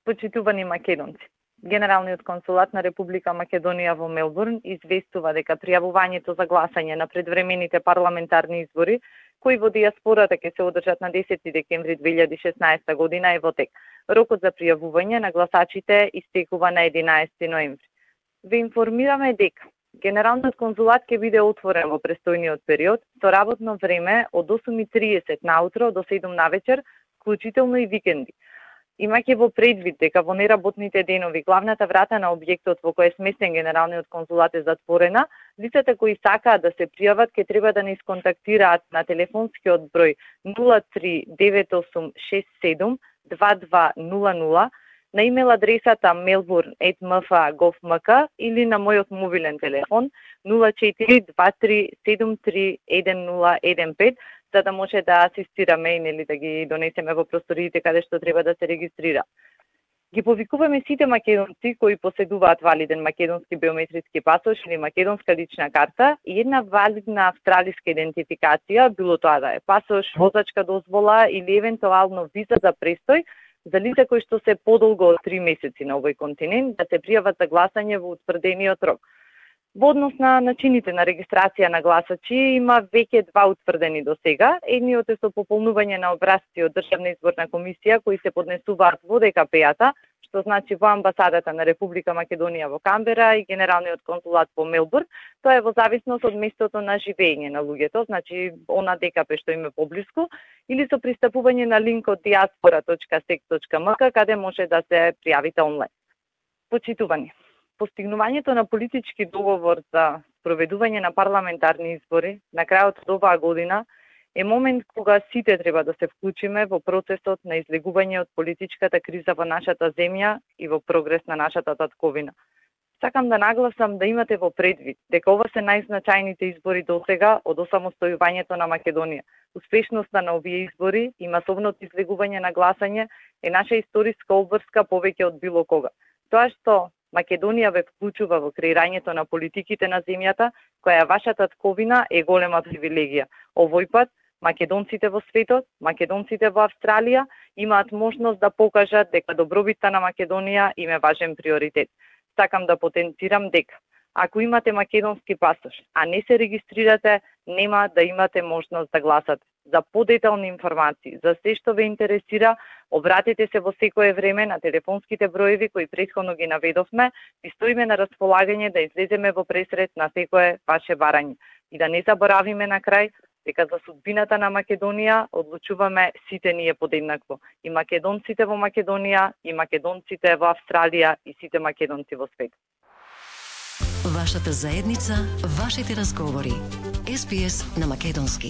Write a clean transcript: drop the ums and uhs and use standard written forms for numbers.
Почитувани македонци, Генералниот консулат на Република Македонија во Мелбурн известува дека пријавувањето за гласање на предвремените парламентарни избори, кои во дијаспората ќе се одржат на 10 декември 2016 година е во тек. Рокот за пријавување на гласачите истекува на 11 ноември. Ве информираме дека Генералниот консулат ќе биде отворен во престојниот период со работно време од 8:30 наутро до 7 навечер, вклучително и викенди. Имајќи во предвид дека во неработните денови главната врата на објектот во кој е сместен Генералниот консулат е затворена, лицата кои сакаат да се пријават ќе треба да ни сконтактираат на телефонскиот број 0398672200, на имейл адресата melbourne@mfa.gov.mk или на мојот мобилен телефон 0423731015, за да може да асистираме и да ги донесеме во просториите каде што треба да се регистрира. Ги повикуваме сите македонци кои поседуваат валиден македонски биометриски пасош или македонска лична карта и една валидна австралиска идентификација, било тоа да е пасош, возачка дозвола или евентуално виза за престој, за лица кои што се подолго од 3 месеци на овој континент, да се пријават за гласање во утврдениот рок. Во однос на начините на регистрација на гласачи има веќе два утврдени до сега. Едниот е со пополнување на образци од Државна изборна комисија кои се поднесуваат во ДКП-ата, што значи во амбасадата на Република Македонија во Камбера и Генералниот консулат во Мелбурн. Тоа е во зависност од местото на живење на луѓето, значи она ДКП што им е поблиску, или со пристапување на линкот diaspora.sec.mk каде може да се пријавите онлайн. Почитувани, постигнувањето на политички договор за спроведување на парламентарни избори на крајот од оваа година е момент кога сите треба да се вклучиме во процесот на излегување од политичката криза во нашата земја и во прогрес на нашата татковина. Сакам да нагласам да имате во предвид дека ова се најзначајните избори досега од осамостојувањето на Македонија. Успешноста на овие избори и масовното излегување на гласање е наша историска обврска повеќе од било кога. Тоа што Македонија ве вклучува во креирањето на политиките на земјата, која е вашата татковина, е голема привилегија. Овој пат македонците во светот, македонците во Австралија имаат можност да покажат дека добробитта на Македонија им е важен приоритет. Сакам да потенцирам дека ако имате македонски пасош, а не се регистрирате, нема да имате можност да гласате. За подетални информации, за се што ве интересира, обратете се во секое време на телефонските броеви кои претходно ги наведовме и стоиме на располагање да излеземе во пресред на секое ваше барање. И да не заборавиме на крај дека за судбината на Македонија одлучуваме сите ние подеднакво. И македонците во Македонија, и македонците во Австралија, и сите македонци во свет. Вашата заедница, вашите разговори. SBS на македонски.